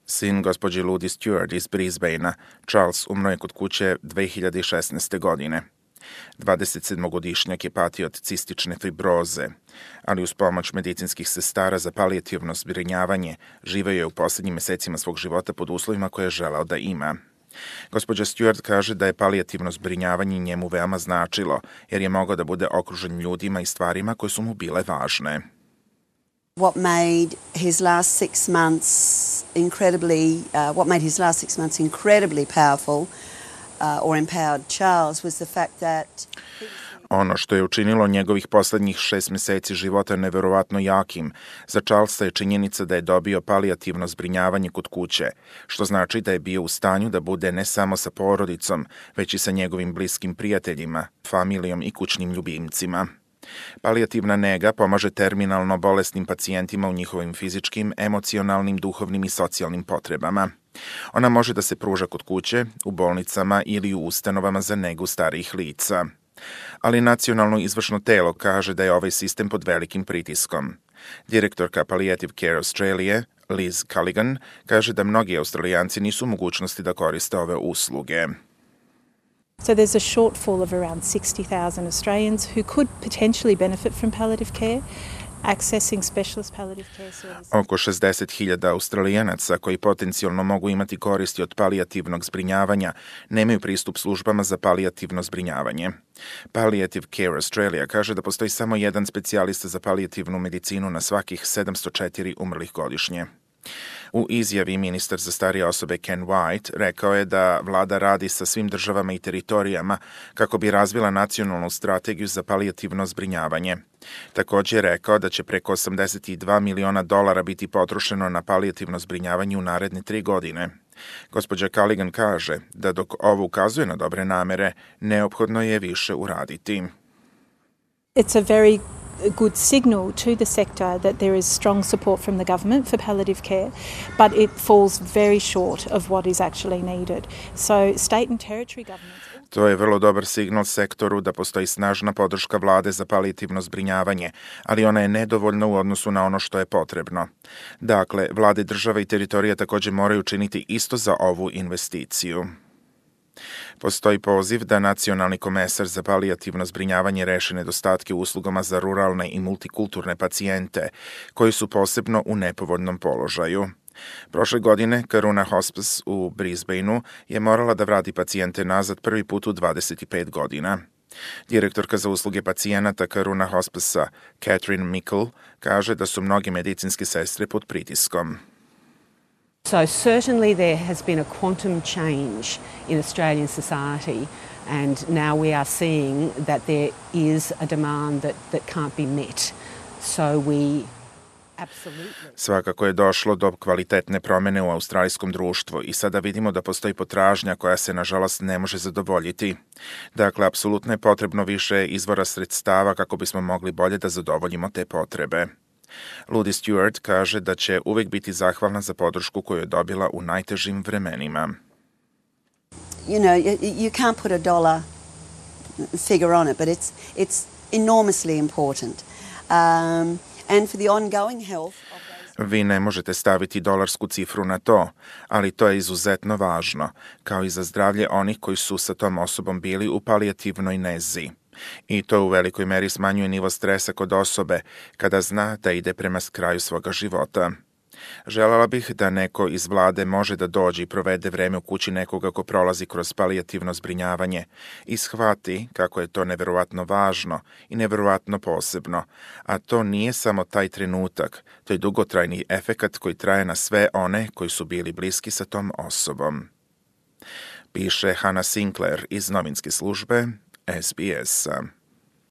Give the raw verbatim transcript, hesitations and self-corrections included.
Sin gospođe Ludi Stewart iz Brisbanea, Charles, umro je kod kuće dve hiljade šesnaeste. godine. dvadesetsedmogodišnjak je patio od cistične fibroze, ali uz pomoć medicinskih sestara za palijativno zbrinjavanje živeo je u posljednjim mesecima svog života pod uslovima koje je želeo da ima. Gospođa Stewart kaže da je palijativno zbrinjavanje njemu veoma značilo, jer je mogao da bude okružen ljudima i stvarima koje su mu bile važne. What made his last six months incredibly, uh, what made his last six months incredibly powerful uh, or empowered Charles was the fact that Ono što je učinilo njegovih poslednjih šest meseci života neverovatno jakim, za Charlesa je činjenica da je dobio palijativno zbrinjavanje kod kuće, što znači da je bio u stanju da bude ne samo sa porodicom, već i sa njegovim bliskim prijateljima, familijom i kućnim ljubimcima. Palijativna nega pomaže terminalno bolesnim pacijentima u njihovim fizičkim, emocionalnim, duhovnim i socijalnim potrebama. Ona može da se pruža kod kuće, u bolnicama ili u ustanovama za negu starijih lica. Ali nacionalno izvršno telo kaže da je ovaj sistem pod velikim pritiskom. Direktorka Palliative Care Australia, Liz Culligan, kaže da mnogi Australijanci nisu u mogućnosti da koriste ove usluge. So there's a shortfall of around sixty thousand Australians who could potentially benefit from palliative care. Accessing specialist palliative care services. Oko šezdeset hiljada Australijanaca koji potencijalno mogu imati koristi od palijativnog zbrinjavanja nemaju pristup službama za palijativno zbrinjavanje. Palliative Care Australia kaže da postoji samo jedan specijalista za palijativnu medicinu na svakih sedamsto četiri umrlih godišnje. U izjavi ministar za starije osobe Ken White rekao je da vlada radi sa svim državama i teritorijama kako bi razvila nacionalnu strategiju za palijativno zbrinjavanje. Također je rekao da će preko osamdeset dva miliona dolara biti potrošeno na palijativno zbrinjavanje u naredne tri godine. Gospođa Culligan kaže da dok ovo ukazuje na dobre namere, neophodno je više uraditi. It's a very a good signal to the sector that there is strong support from the government for palliative care, but it falls very short of what is actually needed. So state and territory governments. To je vrlo dobar signal sektoru da postoji snažna podrška vlade za palijativno zbrinjavanje, ali ona je nedovoljna u odnosu na ono što je potrebno. Dakle, vlade država i teritorija također moraju činiti isto za ovu investiciju. Postoji poziv da nacionalni komesar za palijativno zbrinjavanje reši nedostatke u uslugama za ruralne i multikulturne pacijente, koji su posebno u nepovoljnom položaju. Prošle godine Karuna Hospice u Brisbaneu je morala da vrati pacijente nazad prvi put u dvadeset pet godina. Direktorka za usluge pacijenata Karuna Hospice-a Catherine Mickle kaže da su mnoge medicinske sestre pod pritiskom. So certainly there has been a quantum change in Australian society, and now we are seeing that there is a demand that, that can't be met. So we absolutely... Svakako je došlo do kvalitetne promjene u australijskom društvu i sada vidimo da postoji potražnja koja se nažalost ne može zadovoljiti. Dakle, apsolutno je potrebno više izvora sredstava kako bismo mogli bolje da zadovoljimo te potrebe. Ludi Stewart kaže da će uvijek biti zahvalna za podršku koju je dobila u najtežim vremenima. You know, you, you can't put a dollar figure on it, but it's it's enormously important. Um, and for the ongoing health of those... Vi ne možete staviti dolarsku cifru na to, ali to je izuzetno važno, kao i za zdravlje onih koji su sa tom osobom bili u palijativnoj nezi. I to u velikoj meri smanjuje nivo stresa kod osobe kada zna da ide prema kraju svoga života. Želela bih da neko iz vlade može da dođe i provede vreme u kući nekoga ko prolazi kroz palijativno zbrinjavanje i shvati kako je to neverovatno važno i neverovatno posebno, a to nije samo taj trenutak, to je dugotrajni efekat koji traje na sve one koji su bili bliski sa tom osobom. Piše Hannah Sinclair iz novinske službe S B S-a.